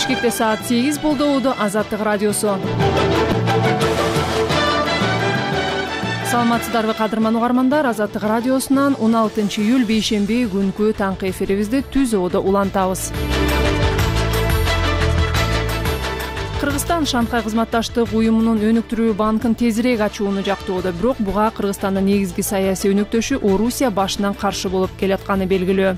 Бишкекте саат 8 болду. Азаттык радиосу. Саламатсыздарбы кадырман угармандар. Азаттык радиосунан 16 июль бейшемби күнкү таңкы эфирибизди түз оодо улантабыз. Кыргызстан Шанхай кызматташтык уюмунун өнүктүрүү банкын тезирээк ачууну жактоодо, бирок буга Кыргызстандын негизги саясий өнөктөшү Орусия башынан каршы болуп келатканы белгилүү.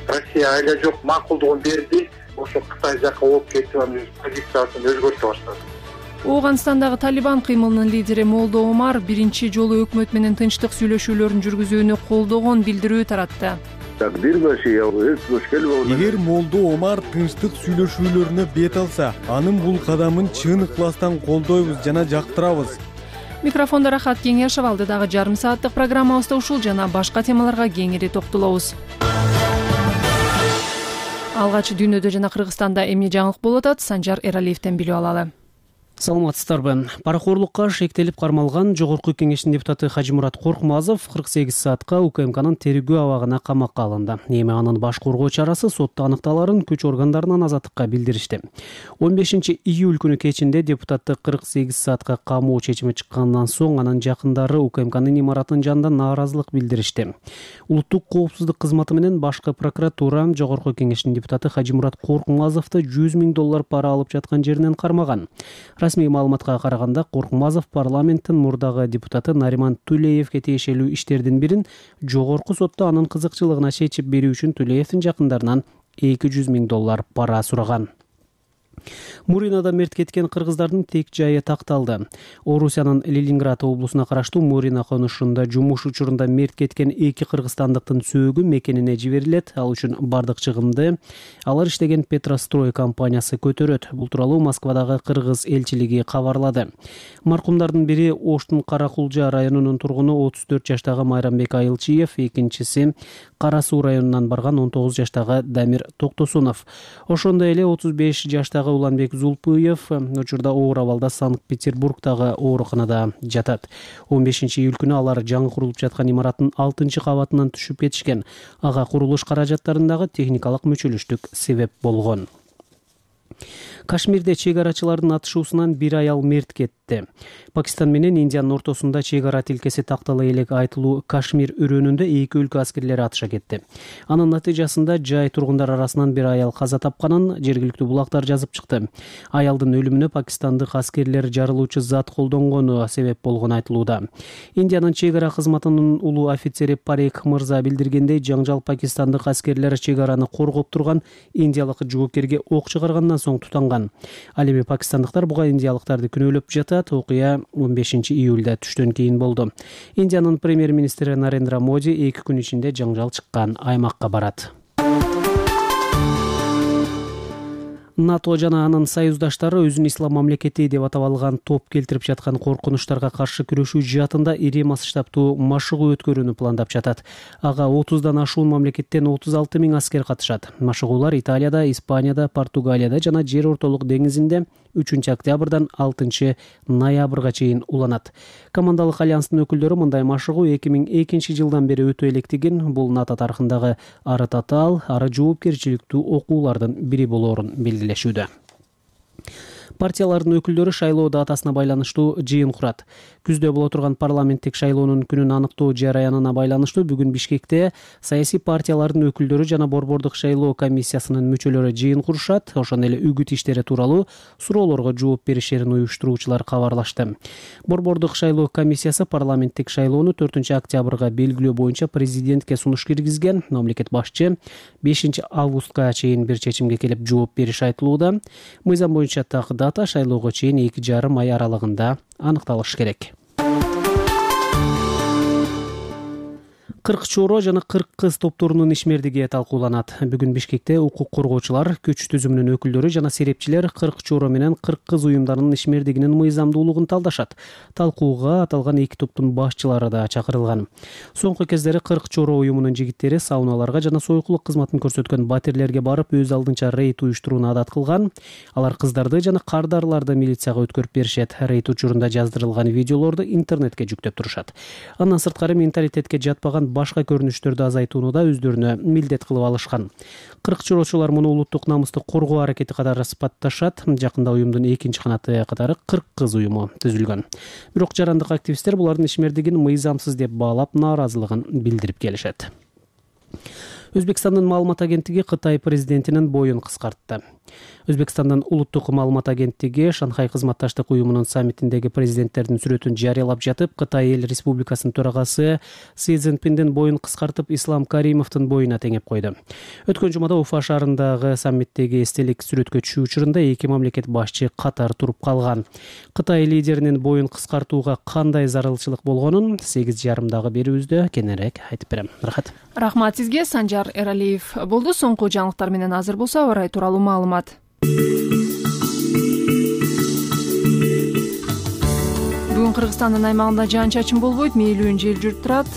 Россия айла жок макулдугун берди. Ошо Кытай жакка ооп кетип, анын позициясын өзгөртө баштады. Ооганстандагы Талибан кыймылынын лидери Молдо Омар биринчи жолу өкмөт менен тынчтык сүйлөшүүлөрүн жүргүзүүнү колдогон билдирүү таратты. Эгер Молдо Омар тынчтык сүйлөшүүлөрүнө бет алса, анын бул кадамын чын ыкластан колдойбуз жана жактырабыз. Микрофондо Рахат Кеңешев, алдыдагы жарым сааттык программабызда ушул жана башка темаларга кеңири токтолобуз. Алгач дүйнөдө жана Кыргызстанда эмне жаңылык болуп атат, Санжар Эралиевден билип алалы. Саламатсыздарбы. Паракорлукка шектелип кармалган Жогорку Кеңештин депутаты Хажимурат Коркмазов 48 саатка УКМКнын тергөө абагына камакка алынды. Эми анын баш коргоо чарасы сотто аныкталарын күч органдарынан азаттыкка билдиришти. 15 июль күнү кечинде депутатты 48 саатка камоо чечими чыккандан соң анын жакындары УКМКнын имаратынын жанында нааразылык билдиришти. Улуттук коопсуздук кызматы менен башкы прокуратура Жогорку Кеңештин депутаты Хажимурат Коркмазовду $100 000 пара алып жаткан жеринен кармаган. Расмий маалыматка караганда, Коркмазов парламенттин мурдагы депутаты Нариман Тулеевге тиешелүү иштердин бирин жогорку сотто анын кызыкчылыгына чечип берүү үчүн Тулеевдин жакындарынан $200 000 пара сураган. Муринада мерт кеткен кыргыздардын тек жайы такталды. Орусиянын Ленинград облусуна караштуу Мурина конушунда жумуш учурунда мерт кеткен 2 кыргызстандыктын сөөгү мекенине жиберилет. Ал үчүн бардык чыгымды алар иштеген Петрострой компаниясы көтөрөт. Бул тууралуу Москвадагы кыргыз элчилиги кабарлады. Маркумдардын бири Оштун Каракулжа районунун тургуну 34 жаштагы Майрамбек Айылчиев, экинчиси Кара Суу районунан барган 19 жаштагы Дамир Токтосунов. Ошондой эле 35 жаштагы Уланбек Зулпуев учурда оор абалда Санкт-Петербургдагы ооруканада жатат. 15 июль күнү алар жаңы курулуп жаткан имараттын 6-кабатынан түшүп кетишкен. Ага курулуш каражаттарындагы техникалык мүчөлүштүк себеп болгон. Кашмирде чегарачылардын атышуусунан бир аял мерт кетти. Пакистан менен Индиянын ортосунда чегара тилкеси тактала элек айтылуу Кашмир өрөөнүндө 2 өлкө аскерлери атыша кетти. Анын натыйжасында жай тургундар арасынан бир аял каза тапканын жергиликтүү булактар жазып чыкты. Аялдын өлүмүнө пакистандык аскерлер жарылуучу зат колдонгону себеп болгону айтылууда. Индиянын чегара кызматынын улуу офицери Парек мырза билдиргендей, жаңжал пакистандык аскерлер чегараны коргоп турган индиялык жоокерге ок чыгаргандан соң тутанган. Ал эми пакистандыктар буга индиялыктарды күнөөлөп жатат. Окуя 15 июлда түштөн кийин болду. Индиянын премьер-министри Нарендра Моди 2 күн ичинде жаңжал чыккан аймакка барат. НАТО жана анын союздаштары өзүн ислам мамлекети деп атап алган топ келтирип жаткан коркунучтарга каршы күрөшүү жаатында ири масштабтуу машыгуу өткөрүүнү пландап жатат. Ага 30дан ашуун мамлекеттен 36 000 аскер катышат. Машыгуулар Италияда, Испанияда, Португалияда жана Жер ортолук деңизинде 3 октябрдан 6 ноябрга чейин уланат. Командалык альянстын өкүлдөрү мындай машыгуу 2002 жылдан бери өтө электигин, бул НАТО тарыхындагы ары татаал, ары жоопкерчиликтүү окуулардын бири болоорун белгилешүүдө. Партиялардын өкүлдөрү шайлоо датасына байланыштуу жыйын курат. Күздө боло турган парламенттик шайлоонун күнүн аныктоо жараянына байланыштуу бүгүн Бишкекте саясий партиялардын өкүлдөрү жана борбордук шайлоо комиссиясынын мүчөлөрү жыйын курушат. Ошондой эле үгүт иштери тууралуу суроолорго жооп беришерин уюштуруучулар кабарлашты. Борбордук шайлоо комиссиясы парламенттик шайлоону 4 октябрга белгилөө боюнча президентке сунуш киргизген. Мамлекет башчы 5 августка чейин бир чечимге келип жооп бериши айтылууда. Мыйзам боюнча так дата шайлоого чейин 2,5 ай аралыгында аныкталышы керек. 40 чоро жана 40 кыз топторунун ишмердиги талкууланат. Бүгүн Бишкекте укук коргоочулар, күч түзүмүнүн өкүлдөрү жана серепчилер 40 чоро менен 40 кыз уюмдарынын ишмердигинин мыйзамдуулугун талдашат. Талкууга аталган 2 топтун башчылары да чакырылган. Соңку кездери 40 чоро уюмунун жигиттери сауналарга жана сойкулук кызматын көрсөткөн батирлерге барып өз алдынча рейд уюштурууну адат кылган. Алар кыздарды жана кардарларды милицияга өткөрүп беришет. Рейд учурунда жаздырылган видеолорду интернетке жүктөп турушат. Андан сырткары менталитетке жатпаган башка көрүнүштөрдү азайтууну да өздөрүнө милдет кылып алышкан. 40 жолоочулар муну улуттук намыстык коргоо аракети катары сыпатташат. Жакында уюмдун экинчи канаты катары 40 кыз уюму түзүлгөн. Бирок жарандык активисттер булардын ишмердигин мыйзамсыз деп баалап нааразылыгын билдирип келишет. Өзбекстандын маалымат агенттиги Кытай президентинин боюн кыскартты. Өзбекстандын улуттук маалымат агенттиги Шанхай кызматташтык уюмунун саммитиндеги президенттердин сүрөтүн жарыялап жатып, Кытай эл республикасынын төрагасы Си Цзиньпиндин боюн кыскартып, Ислам Каримовдун боюна теңеп койду. Өткөн жумада Уфа шаарындагы саммиттеги эстелик сүрөткө түшүү учурунда эки мамлекет башчы катар туруп калган. Кытай лидеринин боюн кыскартууга кандай зарылчылык болгонун 8:30 берүүбүздө кененирээк айтып берем. Рахмат сизге, Санжар Эралиев болду. Соңку жаңылыктар менен азыр болсо аба ырайы тууралуу маалымат. Бүгүн Кыргызстандын аймагында жаан-чачын болбойт, мээлүүн жел жүрүп турат.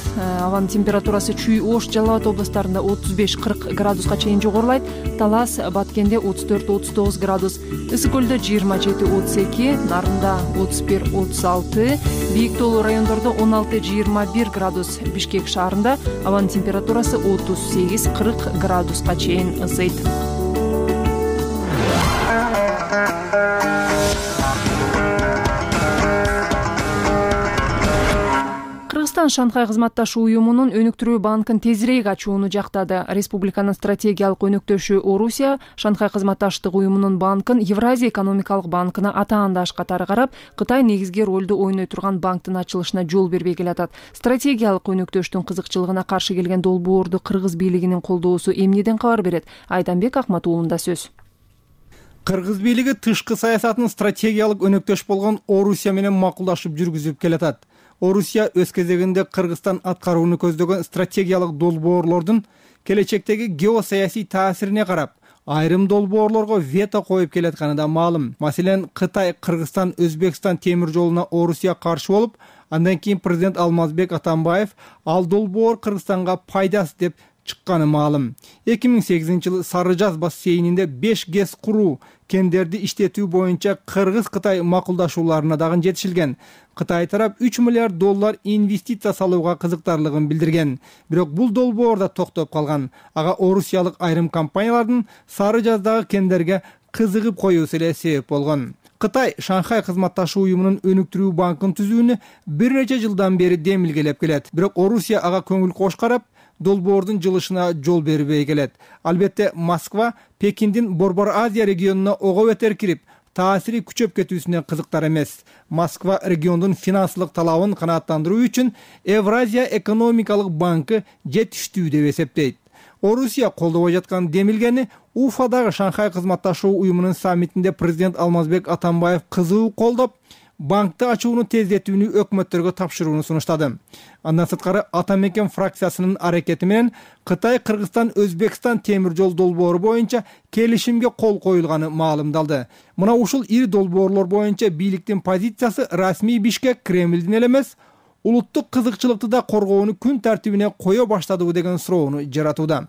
Абанын температурасы Чүй, Ош, Жалал Абад областарында 35-40 градуска чейин жогорулайт. Талас, Баткенде 34-39 градус, Ысык көлдө 27-32, Нарында 31-36, Бийик тоолуу райондордо 16-21 градус, Бишкек шаарында абанын температурасы 38-40 градуска чейин ысыйт. Кыргызстан Шанхай кызматташуу уюмунун өнүктүрүү банкын тезирээк ачууну жактады. Республиканын стратегиялык өнөктөшү Орусия Шанхай кызматташтык уюмунун банкын Евразия экономикалык банкына атаандаш катары карап, Кытай негизги ролду ойной турган банктын ачылышына жол бербей келатат. Стратегиялык өнөктөштүн кызыкчылыгына каршы келген долбоорду кыргыз бийлигинин колдоосу эмнеден кабар берет? Айданбек Акматуулунда сөз. Кыргыз бийлиги тышкы саясатын стратегиялык өнөктөш болгон Орусия менен макулдашып жүргүзүп келатат. Орусия өз кезегинде Кыргызстан аткарууну көздөгөн стратегиялык долбоорлордун келечектеги геосаясий таасирине карап, айрым долбоорлорго вето коюп келатканы да маалым. Маселен, Кытай, Кыргызстан, Өзбекстан темир жолуна Орусия каршы болуп, андан кийин президент Алмазбек Атамбаев ал долбоор Кыргызстанга пайдасы деп чыкканы маалым. 2008-жылы Сары Жаз бассейнинде 5 ГЭС куруу, кендерди иштетүү боюнча Кыргыз-Кытай макулдашууларына дагы жетишилген. Кытай тарап 3 миллиард доллар инвестиция салууга кызыктарлыгын билдирген. Бирок бул долбоор да токтоп калган. Ага орусиялык айрым компаниялардын Сары Жаздагы кендерге кызыгып коюусу эле себеп болгон. Кытай Шанхай кызматташуу уюмунун өнүктүрүү банкын түзүүнү бир нече жылдан бери демилгелеп келет. Бирок Орусия ага көңүл кош карап, долбоордун жылышына жол бербей келет. Албетте, Москва Пекиндин Борбор Азия регионуна ого бетер кирип, таасири күчөп кетүүсүнө кызыктар эмес. Москва региондун финансылык талабын канааттандыруу үчүн Евразия экономикалык банкы жетиштүү деп эсептейт. Орусия колдобой жаткан демилгени Уфадагы Шанхай кызматташуу уюмунун саммитинде президент Алмазбек Атамбаев кызуу колдоп, банкты ачууну тездетүүнү өкмөттөргө тапшырууну сунуштады. Андан сырткары Атамекен фракциясынын аракети менен Кытай, Кыргызстан, Өзбекстан темир жол долбоору боюнча келишимге кол коюлганы маалымдалды. Мына ушул ири долбоорлор боюнча бийликтин позициясы расмий Бишкек Кремлдин эле эмес, улуттук кызыкчылыкты да коргоону күн тартибине кое баштадыбы деген суроону жаратууда.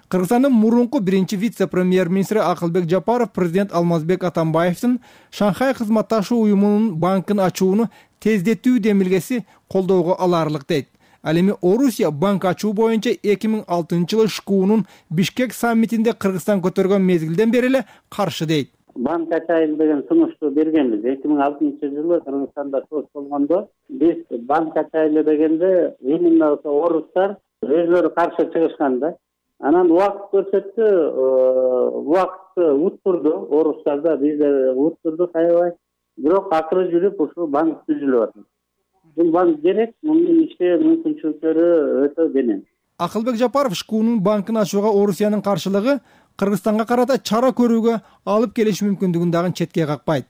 Кыргызстандын мурунку биринчи вице-премьер-министри Акылбек Жапаров президент Алмазбек Атамбаевдин Шанхай кызматташуу уюмунун банкын ачууну тездетүү демилгеси колдоого алаарлык дейт. Ал эми Орусия банк ачуу боюнча 2006-жылы ШКУнун Бишкек саммитинде Кыргызстан көтөргөн мезгилден бери эле каршы дейт. Банк ачайын деген сунушту бергенбиз. 2006-жылы Кыргызстанда соц болгондо биз банк ачайлы дегенде именно орустар өзлөрү каршы чыгышкан да. Анан убакыт көрсөттү, убакытты уттурду, орустар да биз уттурдук аябай. Бирок акыры жүрүп ушул банк түзүлүп атат. Бул банк керек, мунун иштөө мүмкүнчүлүктөрү өтө кенен. Акылбек Жапаров ШКУнун банкын ачууга Орусиянын каршылыгы Кыргызстанга карата чара көрүүгө алып келиш мүмкүндүгүн дагы четке какпайт.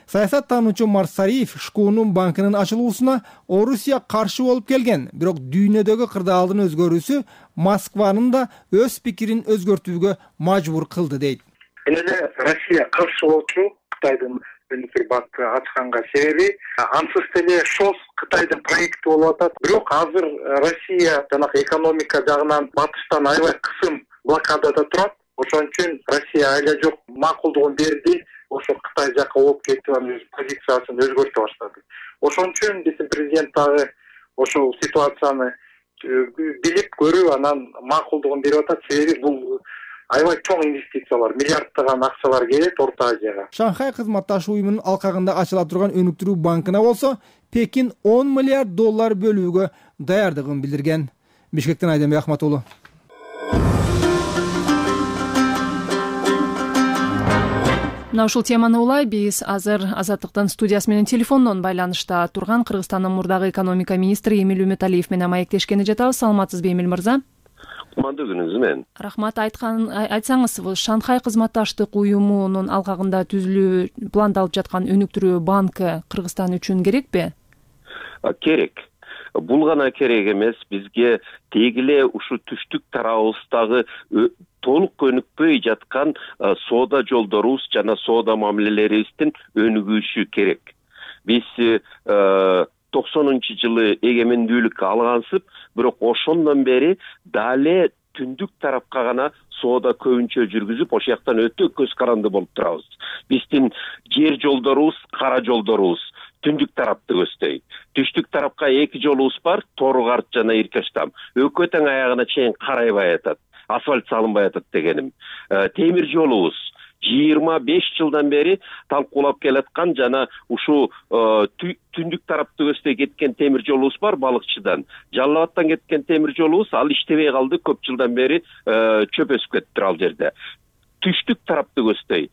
Саясаттануучу Марсариев ШКУнун банкынын ачылуусуна Орусия каршы болуп келген, бирок дүйнөдөгү кырдаалдын өзгөрүүсү Москванын да өз пикирин өзгөртүүгө мажбур кылды дейт. Эле Россия каршы болчу Кытайдын өнүктүрүү банкы ачканга себеби ансыз деле ШОС Кытайдын проекти болуп атат. Бирок азыр Россия жанагы экономика жагынан батыштан аябай кысым блокадада турат. Ошон үчүн Россия айла жок макулдугун берди. Ошо Кытай жака ооп кетип анын өз позициясын өзгөртө баштады. Ошон үчүн биздин президент дагы ошол ситуацияны билип көрүп анан макулдугун берип атат. Себеби бул аябай чоң инвестициялар, миллиарддаган акчалар келет Орто Азияга. Шанхай кызматташуу уюмунун алкагында ачыла турган өнүктүрүү банкына болсо Пекин $10 миллиард бөлүүгө даярдыгын билдирген. Бишкектен Айденбек Ахматулу. Мына ушул теманы улай биз азыр Азаттыктын студиясы менен телефондон байланышта турган Кыргызстандын мурдагы экономика министри Эмил Үмүталиев менен маектешкени жатабыз. Саламатсызбы, Эмил мырза? Кумандуу күнүңүз менен. Рахмат. Айтсаңыз, Шанхай кызматташтык уюмунун алкагында түзүлүү пландалып жаткан өнүктүрүү банкы Кыргызстан үчүн керекпи? Керек. Бул гана керек эмес, бизге тегиле ушу түштүк тарабыбыздагы толук өнүкпөй жаткан соода жолдорубуз жана соода мамилелерибиздин өнүгүшү керек. Биз 90-жылы эгемендүүлүк алгансып, бирок ошондон бери дале түндүк тарапка гана соода көбүнчө жүргүзүп, ошол жактан өтө көз каранды болуп турабыз. Биздин жер жолдорубуз, кара жолдорубуз түндүк тарапты көздөйт. Түштүк тарапка 2 жолубуз бар, Тору-Карт жана Иркештам. Өкө тең аягына чейин карайбай атат, асфальт салынбай атат дегеним. Темир жолубуз 25 жылдан бери талкуулап келаткан жана ушу түндүк тарапты көздөй кеткен темир жолубуз бар Балыкчыдан. Жалал Абадтан кеткен темир жолубуз ал иштебей калды, көп жылдан бери чөп өсүп кетти ал жерде. Түштүк тарапты көздөй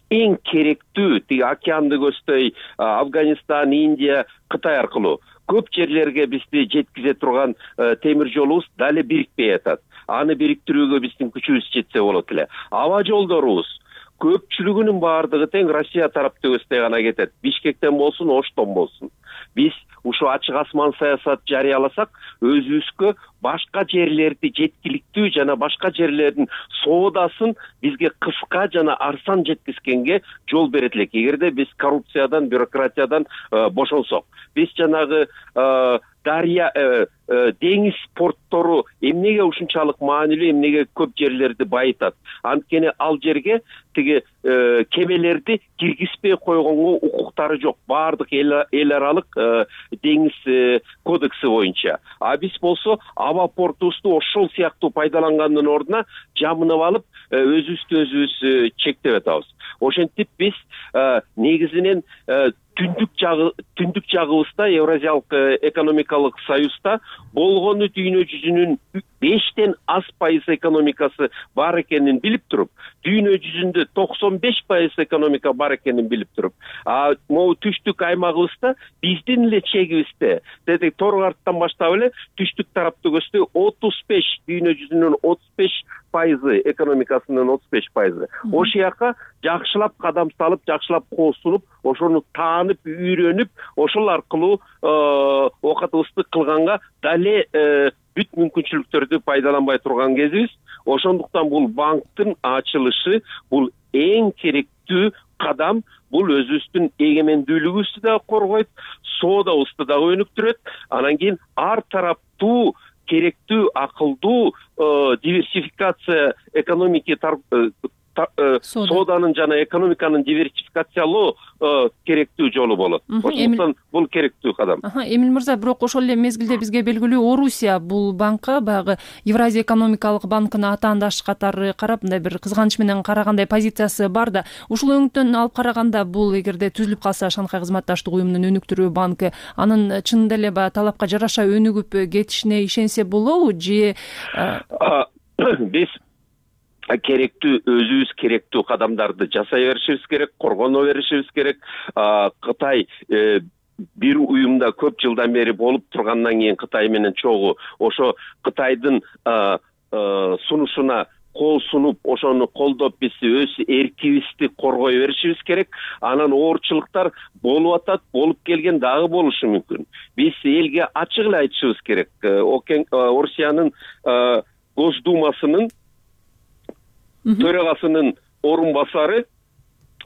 эң керектүү тиги океанды көздөй Афганистан, Индия, Кытай аркылуу көп жерлерге бизди жеткизе турган темир жолубуз дале бирикпей атат. Аны бириктирүүгө биздин күчүбүз жетсе болот эле. Аба жолдорубуз көпчүлүгүнүн баардыгы тең Россия тарапты көздөй гана кетет. Бишкектен болсун, Оштон болсун. Биз ушу ачык асман саясат жарыяласак, өзүбүзгө башка жерлерди жеткиликтүү жана башка жерлердин соодасын бизге кыска жана арзан жеткизгенге жол берет элек. Эгерде биз коррупциядан, бюрократиядан бошонсок. Биз жанагы дарья деңиз порттору эмнеге ушунчалык маанилүү, эмнеге көп жерлерди байытат? Анткени ал жерге тиги кемелерди киргизбей койгонго укуктары жок. Баардык эл аралык деңиз кодекси боюнча. А биз болсо аба портубузду ошол сыяктуу пайдалангандын ордуна жамынып алып, өзүбүздү өзүбүз чектеп атабыз. Ошентип биз негизинен түндүк жагыбызда Евразиялык экономикалык союзда болгону дүйнө жүзүнүн 5тен аз пайыз экономикасы бар экенин билип туруп, дүйнө жүзүндө 95% экономика бар экенин билип туруп, могу түштүк аймагыбызда биздин эле чегибизде, деди Тору-Карттан баштап эле түштүк тарапты көздөй 35, дүйнө жүзүнүн 35% экономикасынын 35%. Ошол жака жакшылап кадам салып, жакшылап коосунуп, ошону таанып, үйрөнүп, ошол аркылуу оокатыбызды кылганга дале бүт мүмкүнчүлүктөрдү пайдаланбай турган кезибиз. Ошондуктан бул банктын ачылышы бул эң керектүү кадам. Бул өзүбүздүн эгемендүүлүгүбүздү да коргойт, соодабызды да өнүктүрөт. Анан кийин ар тараптуу керектүү, акылдуу диверсификация экономики сооданын жана экономиканын диверсификациялоо керектүү жолу болот. Ошондуктан бул керектүү кадам. Эмил мырза, бирок ошол эле мезгилде бизге белгилүү Орусия бул банкка баягы Евразия экономикалык банкына атаандаш катары карап, мындай бир кызганыч менен карагандай позициясы бар да. Ушул өңүттөн алып караганда бул эгерде түзүлүп калса Шанхай кызматташтык уюмунун өнүктүрүү банкы, анын чынында эле баягы талапка жараша өнүгүп кетишине ишенсе болобу же биз керектүү, өзүбүз керектүү кадамдарды жасай беришибиз керек, коргоно беришибиз керек. Кытай бир уюмда көп жылдан бери болуп тургандан кийин Кытай менен чогуу ошо Кытайдын сунушуна кол сунуп, ошону колдоп биз өз эркибизди коргой беришибиз керек. Анан оорчулуктар болуп атат, болуп келген дагы болушу мүмкүн. Биз элге ачык эле айтышыбыз керек. Орусиянын Госдумасынын төрагасынын орун басары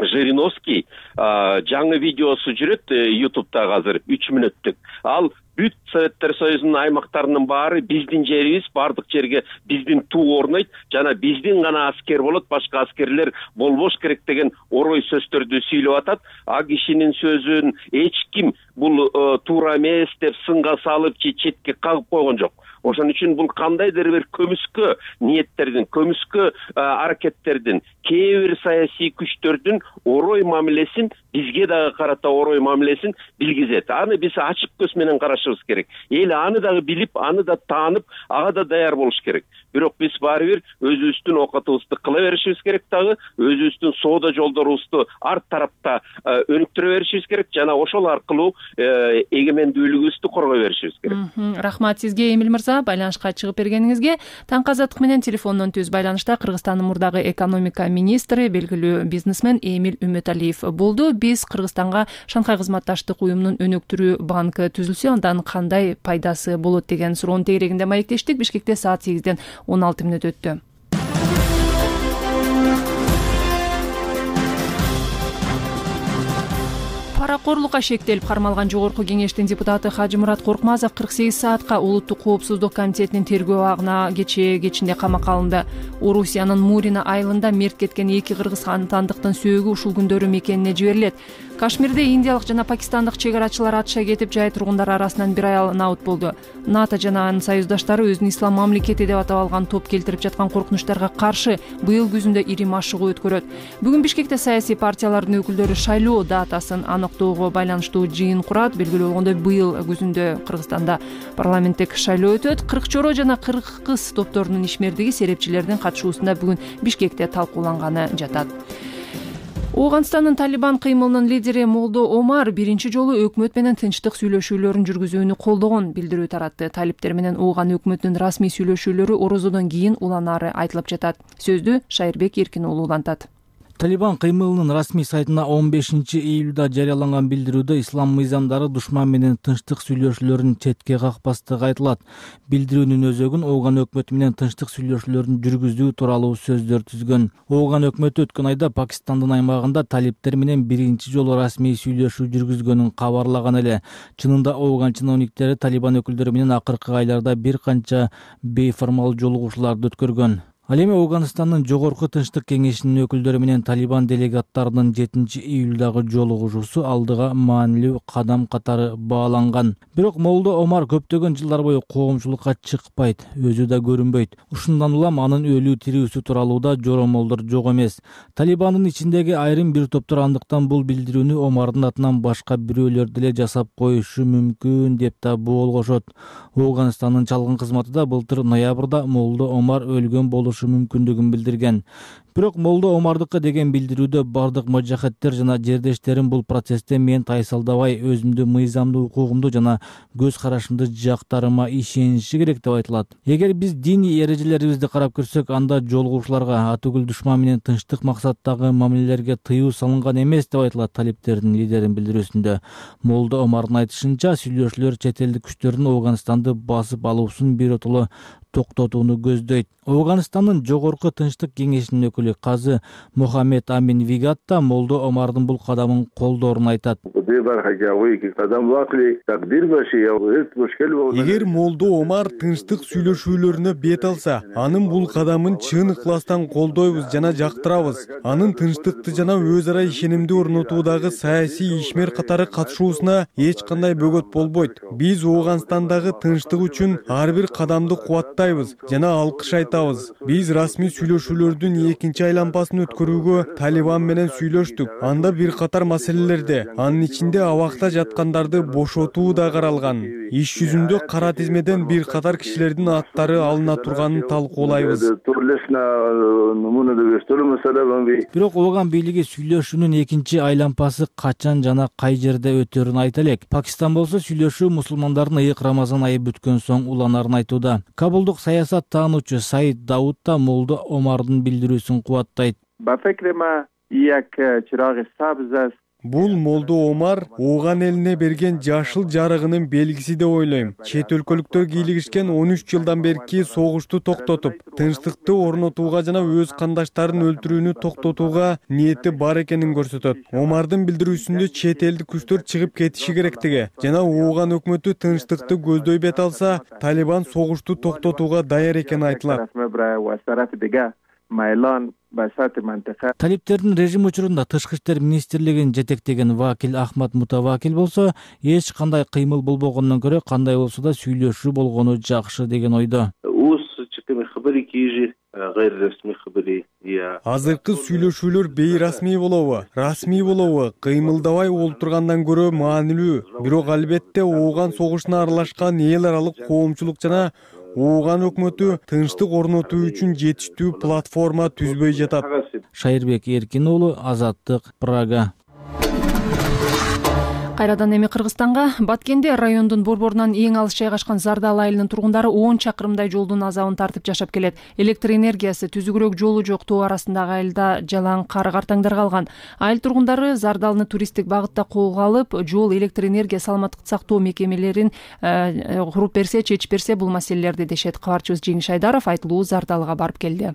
Жириновский жаңы видеосу жүрөт YouTube'да азыр 3 мүнөттүк. Ал бүт Советтер Союзунун аймактарынын баары биздин жерибиз, бардык жерге биздин туу орнойт, жана биздин гана аскер болот, башка аскерлер болбош керек деген орой сөздөрдү сүйлөп атат. А кишинин сөзүн эч ким бул туура эмес деп сынга салып же четке кагып койгон жок. Ошон үчүн бул кандайдыр бир көмүскө ниеттердин, көмүскө аракеттердин, кээ бир саясий күчтөрдүн орой мамилесин, бизге дагы карата орой мамилесин билгизет. Аны биз ачык көз менен карашыбыз керек. Эл аны дагы билип, аны да таанып, ага да даяр болуш керек. Бирок биз баары бир өзүбүздүн окутуубузду кыла беришибиз керек дагы, өзүбүздүн соода жолдорубузду ар тарапта өнүктүрө беришибиз керек жана ошол аркылуу эгемендүүлүгүбүздү коргой беришибиз керек. Рахмат сизге, Эмил мырза, байланышка чыгып бергениңизге. Таңкы азаттык менен телефондон түз байланышта Кыргызстандын мурдагы экономика министри, белгилүү бизнесмен Эмил Үмөталиев болду. Биз Кыргызстанга Шанхай кызматташтык уюмунун өнүктүрүү банкы түзүлсө, андан кандай пайдасы болот деген суроонун тегерегинде маектештик. Бишкекте саат 8-ден 16 мүнөт өттү. Паракорлукка шектелип кармалган Жогорку кеңештин депутаты Хажимурат Коркмазов 48 саатка Улуттук коопсуздук комитетинин тергөө абагына кечинде камакка алынды. Орусиянын Мурина айылында мерт кеткен 2 кыргызстандыктын сөөгү ушул күндөрү мекенине жиберилет. Кашмирде индиялык жана пакистандык чек арачылар атыша кетип, жай тургундар арасынан бир аял наут болду. НАТО жана анын союздаштары өзүн ислам мамлекети деп атап алган топ келтирип жаткан коркунучтарга каршы быйыл күзүндө ири машыгуу өткөрөт. Бүгүн Бишкекте саясий партиялардын өкүлдөрү шайлоо датасын аныктоого байланыштуу жыйын курат. Белгилүү болгондой, быйыл күзүндө Кыргызстанда парламенттик шайлоо өтөт. Кыркчоро жана кыргыз топторунун ишмердиги серепчилердин катышуусунда бүгүн Бишкекте талкууланганы жатат. Ооганстандын Талибан кыймылынын лидери Молдо Омар биринчи жолу өкмөт менен тынчтык сүйлөшүүлөрүн жүргүзүүнү колдогон билдирүү таратты. Талиптер менен Ооган өкмөтүнүн расмий сүйлөшүүлөрү орозодон кийин уланары айтылып жатат. Сөздү Шайырбек Эркин уулу улантат. Талибан кыймылынын расмий сайтына 15-июлда жарыяланган билдирүүдө ислам мыйзамдары душман менен тынчтык сүйлөшүүлөрүн четке какпастыгы айтылат. Билдирүүнүн өзөгүн Ооган өкмөтү менен тынчтык сүйлөшүүлөрүн жүргүзүү тууралуу сөздөр түзгөн. Ооган өкмөтү өткөн айда Пакистандын аймагында талиптер менен биринчи жолу расмий сүйлөшүү жүргүзгөнүн кабарлаган эле. Чынында Ооган чиновниктери Талибан өкүлдөрү менен акыркы айларда бир канча бейформал жолугушууларды өткөргөн. Ал эми Ооганстандын Жогорку тынчтык кеңешинин өкүлдөрү менен Талибан делегаттарынын 7-июлдагы жолугушуусу алдыга маанилүү кадам катары бааланган. Бирок Молдо Омар көптөгөн жылдар бою коомчулукка чыкпайт, өзү да көрүнбөйт. Ушундан улам анын өлүү тирүүсү тууралуу да жоромолдор жок эмес. Талибандын ичиндеги айрым бир топтор андыктан бул билдирүүнү Омардын атынан башка бирөөлөр деле жасап коюшу мүмкүн деп да болгошот. Ооганстандын чалгын кызматы да былтыр ноябрда Молдо Омар өлгөн болушу мүмкүндүгүн билдирген. Бирок Молдо Омардыкы деген билдирүүдө бардык мажахеттер жана жердештерим бул процессте мен тайсалдабай өзүмдү мыйзамдуу укугумду жана көз карашымды жактарыма ишениши керек деп айтылат. Эгер биз диний эрежелерибизди карап көрсөк, анда жолугушууларга атүгүл душман менен тынчтык максаттагы мамилелерге тыюу салынган эмес деп айтылат талиптердин лидеринин билдирүүсүндө. Молдо Омардын айтышынча, сүйлөшүүлөр чет элдик күчтөрдүн Ооганстанды басып алуусун биротоло токтотууну көздөйт. Ооганстандын Жогорку тынчтык кеңешинин өкүлү казы Мохаммед Амин Вигатта Молдо Омардын бул кадамын колдоорун айтат. Эгер Молдо Омар тынчтык сүйлөшүүлөрүнө бет алса, анын бул кадамын чын ыкластан колдойбуз жана жактырабыз. Анын тынчтыкты жана өз ара ишенимди орнотуудагы саясий ишмер катары катышуусуна эч кандай бөгөт болбойт. Биз Ооганстандагы тынчтык үчүн ар бир кадамды кубаттайбыз жана алкыш айтабыз. Биз расмий сүйлөшүүлөрдүн экинчи айланпасын өткөрүүгө Талибан менен сүйлөштүк. Анда бир катар маселелерде, анын ичинде абакта жаткандарды бошотуу да каралган. Иш жүзүндө кара тизмеден бир катар кишилердин аттары алына турганын талкуулайбыз. Бирок Ооган бийлиги сүйлөшүүнүн экинчи айланпасы качан жана кай жерде өтөрүн айта элек. Пакистан болсо сүйлөшүү мусулмандардын ыйык Рамазан айы бүткөн соң уланарын айтууда. Кабулдук саясат таануучу Саид Дауд да Молдо Омардын билдирүүсүн кубаттайт. Бул Молдо Омар Ооган элине берген жашыл жарыгынын белгиси деп ойлойм. Чет өлкөлүктөр кийлигишкен 13 жылдан берки согушту токтотуп, тынчтыкты орнотууга жана өз кандаштарын өлтүрүүнү токтотууга ниети бар экенин көрсөтөт. Омардын билдирүүсүндө чет элдик күчтөр чыгып кетиши керектиги жана Ооган өкмөтү тынчтыкты көздөй бет алса, Талибан согушту токтотууга даяр экени айтылат. талиптердин режим учурунда тышкы иштер министрлигин жетектеген вакил Ахмат Мутавакил болсо эч кандай кыймыл болбогондон көрө кандай болсо да сүйлөшүү болгону жакшы деген ойдо. Азыркы сүйлөшүүлөр бейрасмий болобу, расмий болобу, кыймылдабай олтургандан көрө маанилүү. Бирок албетте ооган согушуна аралашкан эл аралык коомчулук жана ооган өкмөтү тынчтык орнотуу үчүн жетиштүү платформа түзбөй жатат. Шайырбек Эркин уулу, Азаттык, Прага. Кайрадан эми Кыргызстанга. Баткенде райондун борборунан эң алыс жайгашкан Зардал айылынын тургундары 10 чакырымдай жолдун азабын тартып жашап келет. Электр энергиясы, түзүгүрөөк жолу жок тоо арасындагы айылда жалаң кар картаңдар калган. Айыл тургундары Зардалны туристтик багытта колго алып, жол, электр энергия, саламаттыкты сактоо мекемелерин куруп берсе, чечип берсе бул маселелерди дешет. Кабарчыбыз Жеңиш Айдаров айтылуу Зардалга барып келди.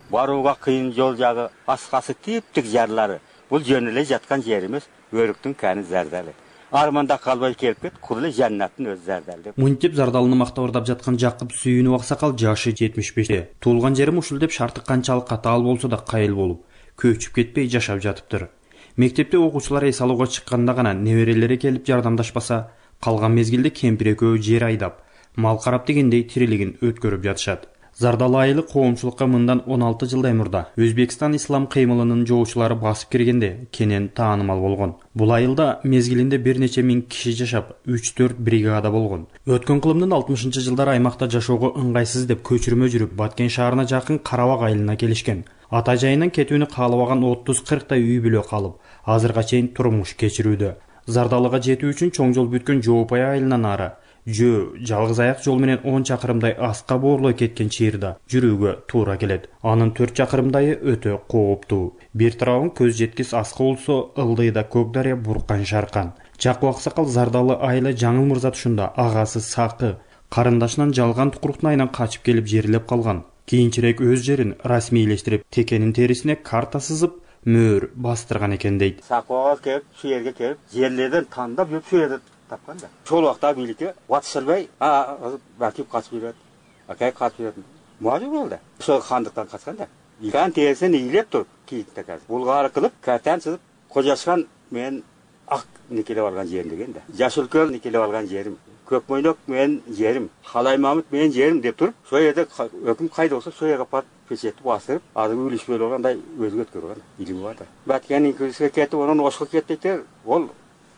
Барууга кыйын жол жагы, аскасы типтик жарлары. Бул жөн эле жаткан жер эмес, өрүктүн каны Зардалы. Арманда калбай келип кет, кур эле жаннаттын өз Зардалы. Мынтип Зардалыны мактабырдап жаткан Жакып Сүйүнов аксакал жашы 75-те. Туулган жерим ушул деп шарты канчалык катаал болсо да кайыл болуп, көчүп кетпей жашап жатыптыр. Мектепте окуучулар эс алууга чыкканда гана неберелери келип жардамдашпаса, калган мезгилде кемпир экөө жер айдап, мал карап дегендей тирилигин өткөрүп жатышат. Зардал айылы коомчулукка мындан 16 жылдай мурда Өзбекстан ислам кыймылынын жоочулары басып киргенде кенен таанымал болгон. Бул айылда мезгилинде бир нече миң киши жашап, 3-4 бригада болгон. Өткөн кылымдын 60-жылдары аймакта жашоого ыңгайсыз деп көчүрмө жүрүп, Баткен шаарына жакын Карабак айылына келишкен. Ата жайынан кетүүнү каалабаган 30-40 үй бүлө калып, азырга чейин турмуш кечирүүдө. Зардалыга жетүү үчүн чоң жол бүткөн Жоопай айылынан ары жалгыз аяк жол менен 10 чакырымдай аска боорлой кеткен чыйырда жүрүүгө туура келет. Анын 4 чакырымдайы өтө кооптуу. Бир тарабын көз жеткис аска болсо, ылдыйда Көк дарыя буркан шаркан. Жакып аксакал Зардалы айылы Жаңыл мырза тушунда агасы Сакы карындашынан жалган тукуруктун качып келип жерлеп калган. Кийинчерээк өз жерин расмийлештирип, текенин терисине карта сызып, мөөр бастырган экен дейт. Сакыга келип, şu жерге келип, жерлерден тандап жүрүп, şu жерде тапканда. Шол убакта бийликке батышырбай, бакип качып жүрөт. Акай качып жүрөт. Мажбур болду. Ошол хандыктан качканда. Иган терисин ийилеп туруп, кийиктер казыр. Булгары кылып, картан сызып, Кожашкан мен ак никелеп алган жерим деген да. Жашылкөл никелеп алган жерим. Көкмөйнөк мен жерим, Халай Мамыт мен жерим деп туруп, ошол жерде өкүм кайда болсо, ошол жерге барып печетти басырып, азыр үлүшпөй болгандай өзгө өткөргөн илими бар да. Баткендин көзгө кетип, анан Ошко кеттиктер, ол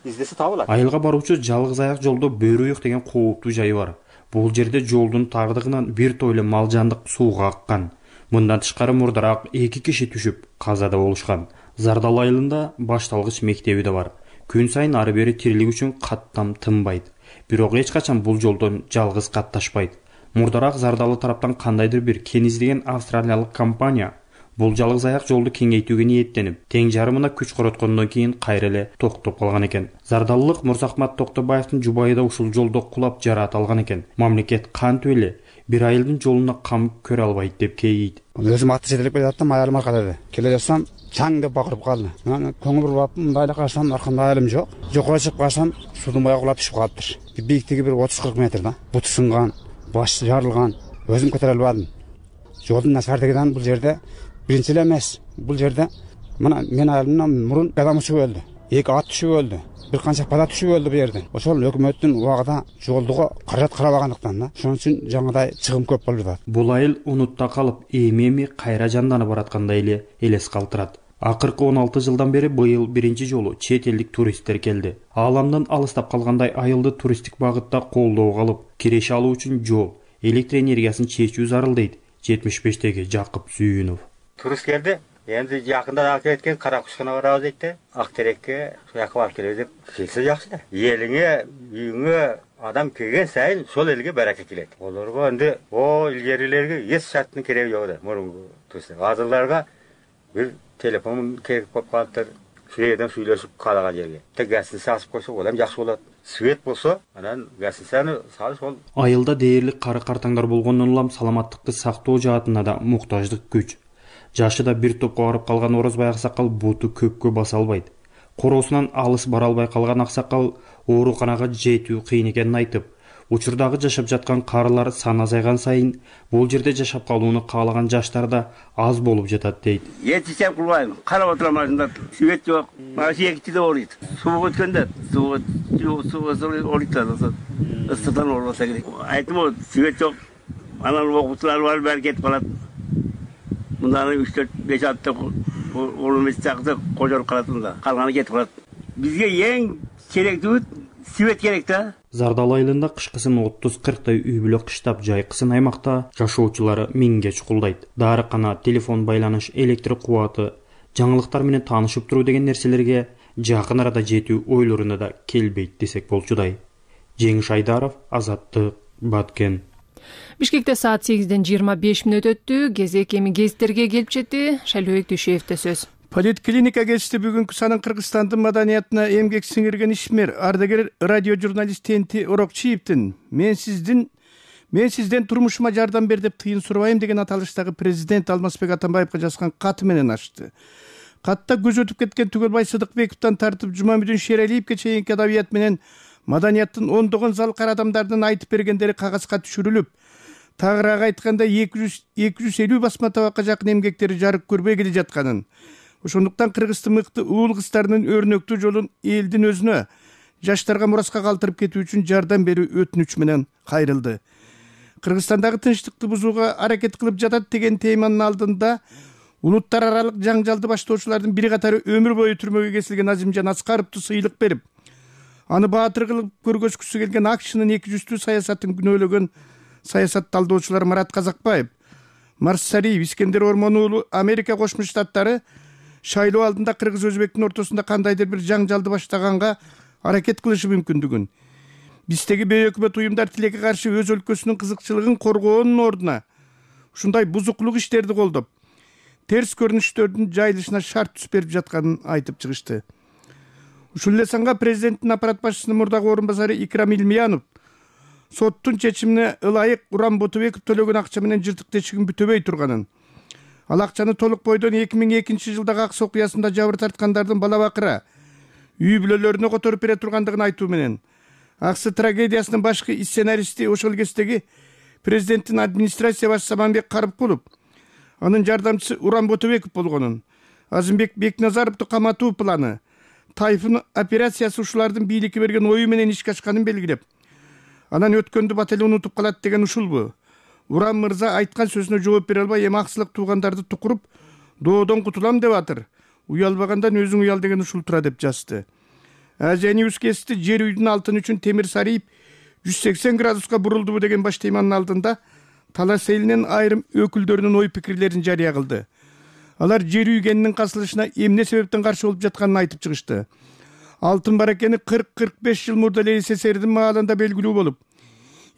издесе табылат. Айылга баруучу жалгыз аяк жолдо Бөрүйүк деген кооптуу жай бар. Бул жерде жолдун тагдыгынан бир тойлы мал жандык сууга аккан. Мындан тышкары мурдараак 2 киши түшүп казада болушкан. Зардал айылында башталгыч мектеби да бар. Күн сайын ары бери тирилик үчүн каттам тынбайт. Бирок эч качан бул жолдон жалгыз катташпайт. Мурдараак Зардалы тараптан кандайдыр бир кен издеген австралиялык компания бул жалгыз аяк жолду кеңейтүүгө ниеттенип, тең жарымына күч короткондон кийин кайра эле токтоп калган экен. Зардалылык Мурзахмат Токтобаевдин жубайы да ушул жолдо кулап жараат алган экен. Мамлекет кантип эле бир айылдын жолуна кам көрө албайт деп кейийт. Өзүм атты жетелеп келатам, аялым аркада. Келе жатсам, чаң деп бакырып калды. Мен көңүл буруп, мындайла карасам, аркамда аялым жок. Жокко чыгып калсам, судун бая кулап түшүп калыптыр. Бийиктиги бир 30-40 метр да. Буту сынган, баш жарылган. Өзүм көтөрө албадым. Жолдун начарлыгынан бул жерде биринчи эле эмес. Бул жерде мына мен аялымдан мурун адам түшүп өлдү. 2 ат түшүп өлдү. Bir kança pada түшүп өлдү бу жерден. Ошол өкмөттүн убагында жолдуга каражат карабагандыктан да. Ошон үчүн жаңыдай чыгым көп болуп жатат. Бул айыл унутта калып, эми кайра жанданып бараткандай эле элес калтырат. Акыркы 16 жылдан бери быйыл биринчи жолу чет элдик туристтер келди. Ааламдан алыстап калгандай айылды туристтик багытта колдоого алып, киреше алуу үчүн жол, электр энергиясын чечүү зарыл дейт 75-теги Жакып Сүйүнов. Турист келди. Endi yakında akı etken Karakuşkan'a varağız etti. Akterek'e yakı var kelebe dep kelсе жақсы да. Еліңе, үйіңе адам келген сайын сол елге бәрәке келеді. Оларға енді о илгерилерге еш шарттың керегі жоқ да. Мұрынғы туристер. Азырларға бір телефон керек болып қалыптыр. Шүйеден сөйлесіп қалаған жерге. Тек гәсін сасып қойса, олам жақсы болады. Свет болса, анан гәсін сәні салы сол. Айылда дээрлик кары картаңдар болгондон улам саламаттыкты сактоо жаатына да муктаждык күч. Жашыда бир топко барып калган Орозбай аксакал буту көккө баса албайт. Короосунан алыс бара албай калган аксакал ооруканага жетүү кыйын экенин айтып, Учурдагы жашап жаткан карылар саны азайган сайын бул жерде жашап калууну каалаган жаштар да аз болуп жатат дейт. Эч кылбайм. Карап отурам ашында. Свет жок. Машина экичиде оройт. Суу өткөндө суу оройт. Ыстыктан орбаса керек. Айтым свет жок. Анан окуучулар бар, баары кетип калат. Мынданы 3-4-5 атты орумес чакты кожоруп калат мында. Калганы кетип калат. Бизге эң керектүү свет керек да. Зардал айылында кышкысын 30-40 үй бүлө кыштап жайкысын аймакта жашоочулары миңге чукулдайт. Дарыкана, телефон байланыш, электр кубаты, жаңылыктар менен таанышып туруу деген нерселерге жакын арада жетүү ойлоруна да келбейт десек болчудай. Жеңиш Айдаров, Азаттык, Баткен. Бишкекте саат 8:25 өттү. Кезек эми гезиттерге келип жетти. Шайлообек Дүйшөевдө сөз. Политклиника гезити бүгүнкү санын Кыргызстандын маданиятына эмгек сиңирген ишмер, ардагер радио журналист Тенти Орокчиевдин мен сизден турмушума жардам бер деп тыйын сурабайм деген аталыштагы президент Алмазбек Атамбаевга жазган каты менен ачты. Катта көз өтүп кеткен Түгөлбай Сыдыкбековдон тартып Жумамүдүн Шералиевге чейинки адабият менен маданияттын ондогон залкар адамдардын айтып бергендери кагазга түшүрүлүп, тагыраак айтканда 250 басма табакка жакын эмгектери жарык көрбөй келе жатканын, ошондуктан Кыргыздын мыкты уул кыздарынын өрнөктүү жолун элдин өзүнө, жаштарга мураска калтырып кетүү үчүн жардам берүү өтүнүч менен кайрылды. Кыргызстандагы тынчтыкты бузууга аракет кылып жатат деген теманын алдында улуттар аралык жаңжалды баштоочулардын бир катары өмүр бою түрмөгө кесилген Азимжан Аскаровду сыйлык берип, аны баатыр кылып көргөзгүсү келген АКШнын 200 саясатын күнөөлөгөн саясат талдоочулар Марат Казакбаев, Марсариев, Искендер Ормон уулу Америка Кошмо Штаттары шайлоо алдында кыргыз өзбектин ортосунда кандайдыр бир жаңжалды баштаганга аракет кылышы мүмкүндүгүн, биздеги бейөкмөт уюмдар тилекке каршы өз өлкөсүнүн кызыкчылыгын коргоонун ордуна ушундай бузуклук иштерди колдоп, терс көрүнүштөрдүн жайылышына шарт түз берип жатканын айтып чыгышты. Ушул эле санга президенттин аппарат башчысынын мурдагы орун басары Икрам Илмиянов соттун чечимине ылайык Урам Ботубеков төлөгөн акча менен жыртык тешигин бүтөбөй турганын, ал акчаны толук бойдон 2002 жылдагы Акс окуясында жабыр тарткандардын бала бакыра, үй бүлөлөрүнө которуп бере тургандыгын айтуу менен, Аксы трагедиясынын башкы сценаристи ошол кездеги президенттин администрация башчысы Аманбек Карыпкулов, анын жардамчысы Урам Ботубеков болгонун, Азимбек Бекназаровду каматуу планы, Тайфун операциясы ушулардын бийликке берген ою менен ишке ашканын белгилеп, анан өткөндү бат эле унутуп калат деген ушулбу? Урам мырза айткан сөзүнө жооп бере албай эми аксылык туугандарды тукуруп, доодон кутулам деп атыр. Уялбагандан өзүң уял деген ушул тура деп жазды. Азияньюз кести жер үйдүн алтыны үчүн темир сарыйып 180 градуска бурулдубу деген баш теманын алдында талас элинин айрым өкүлдөрүнүн ой пикирлерин жарыя кылды. Алар жер үйгенинин касылышына эмне себептен каршы болуп жатканын айтып чыгышты. Алтын бар экени 40-45 жыл мурда эле СССРдин маалында белгилүү болуп,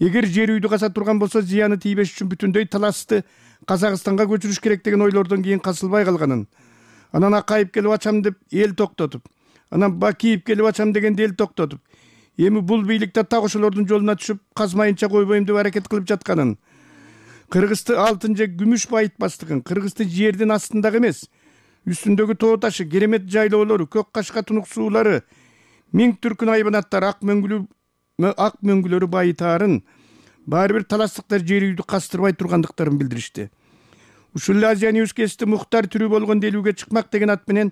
эгер жер үйдү каса турган болсо зыяны тийбеш үчүн бүтүндөй таласты Казакстанга көчүрүш керек деген ойлордон кийин касылбай калганын, анан Акаев келип ачам деп эл токтотуп, анан Бакиев келип ачам дегенде эл токтотуп, эми бул бийликте так ошолордун жолуна түшүп казмайынча койбойм деп аракет кылып жатканын, Кыргызды алтын же күмүш байытпастыгын, Кыргызды жердин астындагы эмес, үстүндөгү тоо ташы, керемет жайлоолору, көк кашка тунук суулары, миң түркүн айбанаттар, ак мөңгүлөрү байытаарын, баары бир таластыктар жер үйдү кастырбай тургандыктарын билдиришти. Ушул эле Азияньюз кести Мухтар тирүү болгон делүүгө чыкмак деген ат менен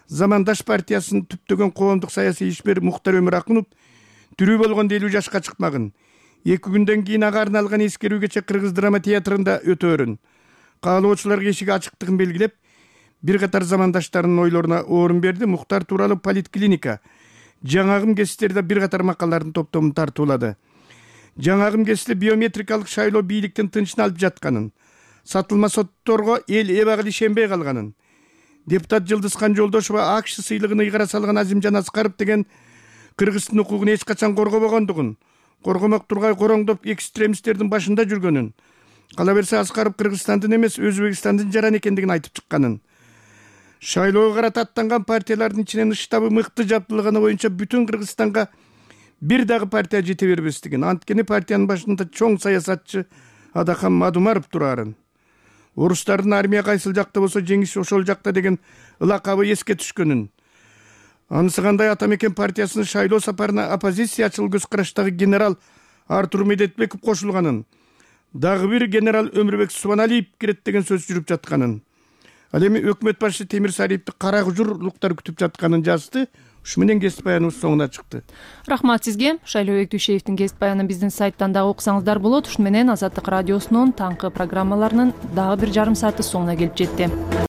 Замандаш партиясынын түптөгөн коомдук саясий ишмер Мухтар Өмүракунов тирүү болгон делүү жашка чыкмагын. 2 күндөн кийин ага арналган эскерүүгече Кыргыз драма театрында өтөөрүн, каалоочуларга эшиги ачыктыгын белгилеп, бир катар замандаштарынын ойлоруна орун берди. Мухтар тууралуу Политклиника жаңагым гезиттерде бир катар макалалардын топтомун тартуулады. Жаңагым гезити биометрикалык шайлоо бийликтин тынчын алып жатканын, сатылма сотторго эл эбагыл ишенбей калганын, депутат Жылдызхан Жолдошова АКШ сыйлыгын ыйгара салган Азимжан Аскаров деген Кыргыздын укугун эч качан коргобогондугун, коргомок тургай короңдоп экстремисттердин башында жүргөнүн, кала берсе Аскаров Кыргызстандын эмес Өзбекстандын жаран экендигин айтып чыкканын, шайлоого карата аттанган партиялардын ичинен штабы мыкты жаптылганы боюнча бүтүн Кыргызстанга бир дагы партия жете бербестигин, анткени партиянын башында чоң саясатчы Адахан Мадумаров турарын, орустардын армия кайсыл жакта болсо жеңиш ошол жакта деген ылакабы эске түшкөнүн, анысы кандай Ата Мекен партиясынын шайлоо сапарына оппозициячыл көз караштагы генерал Артур Медетбеков кошулганын, дагы бир генерал Өмүрбек Субаналиев кирет деген сөз жүрүп жатканын, ал эми өкмөт башчы Темир Сариевди кара кужурлуктар күтүп жатканын жазды. Ушу менен кесип баяныбыз соңуна чыкты. Рахмат сизге. Шайлообек Дүйшеевдин кесип баянын биздин сайттан дагы окусаңыздар болот. Ушуну менен Азаттык радиосунун таңкы программаларынын дагы бир жарым сааты соңуна келип жетти.